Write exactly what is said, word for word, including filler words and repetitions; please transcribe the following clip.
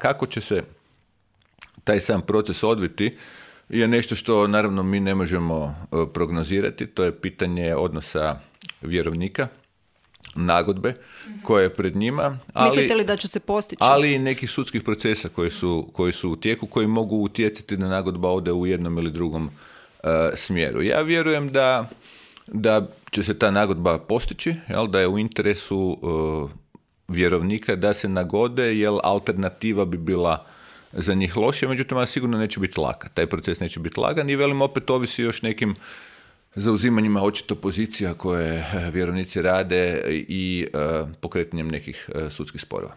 Kako će se taj sam proces odviti je nešto što naravno mi ne možemo prognozirati. To je pitanje odnosa vjerovnika, nagodbe koje je pred njima. Ali, mislite li da će se postići? Ali i nekih sudskih procesa koji su, koji su u tijeku, koji mogu utjecati da nagodba ode u jednom ili drugom uh, smjeru. Ja vjerujem da, da će se ta nagodba postići, jel, da je u interesu uh, vjerovnika da se nagode, jer alternativa bi bila za njih lošija, međutim, ona sigurno neće biti laka. Taj proces neće biti lagan i velim opet ovisi još nekim zauzimanjima očito pozicija koje vjerovnici rade i uh, pokretanjem nekih uh, sudskih sporova.